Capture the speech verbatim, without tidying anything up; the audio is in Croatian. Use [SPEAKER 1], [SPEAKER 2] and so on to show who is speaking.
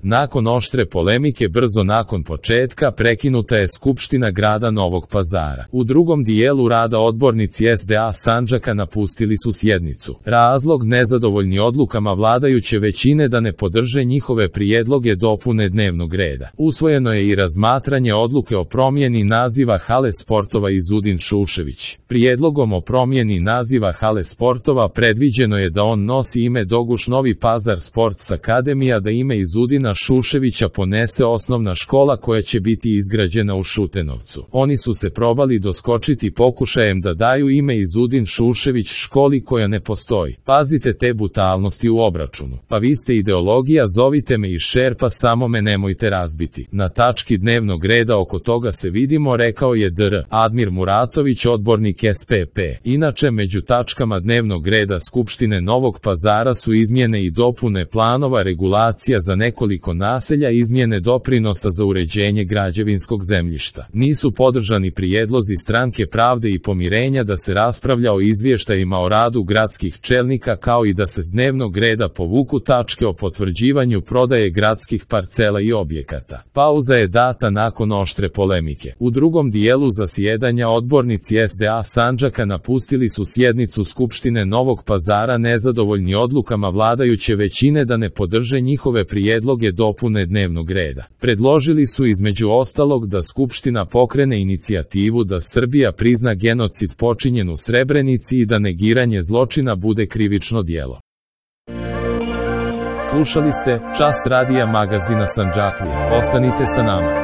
[SPEAKER 1] Nakon oštre polemike brzo nakon početka prekinuta je Skupština grada Novog Pazara. U drugom dijelu rada odbornici S D A Sandžaka napustili su sjednicu. Razlog nezadovoljni odlukama vladajuće većine da ne podrže njihove prijedloge dopune dnevnog reda. Usvojeno je i razmatranje odluke o promjeni naziva hale sportova Izudin Šušević. Prijedlogom o promjeni naziva hale sportova predviđeno je da on nosi ime Doguš Novi Pazar Sports Akademija, da ime Izudina Šuševića ponese osnovna škola koja će biti izgrađena u Šutenovcu. Oni su se probali doskočiti pokušajem da daju ime Izudin Šušević školi koja ne postoji. Pazite te brutalnosti u obračunu. Pa vi ste ideologija, zovite me iz šerpa, samo me nemojte razbiti. Na tački dnevnog reda oko toga se vidimo, rekao je dr. Admir Muratović, odbornik S P P. Inače, među tačkama dnevnog reda Skupštine Novog Pazara su izmjene i dopune planova regulacija za nekoliko naselja, izmjene doprinosa za uređenje građevinskog zemljišta. Nisu podržani prijedlozi Stranke pravde i pomirenja da se raspravlja o izvještajima o radu gradskih čelnika, kao i da se s dnevnog reda povuku tačke o potvrđivanju prodaje gradskih parcela i objekata. Pauza je data nakon oštre polemike. U drugom dijelu zasjedanja odbornici S D A Sandžaka napustili su sjednicu Skupštine Novog Pazara nezadovoljni odlukama vladajuće većine da ne podrže njihove prijedloge dopune dnevnog reda. Predložili su između ostalog da Skupština pokrene inicijativu da Srbija prizna genocid počinjen u Srebrenici i da negiranje zločina bude krivično djelo. Slušali ste Čas radija magazina Sandžaklija. Ostanite sa nama.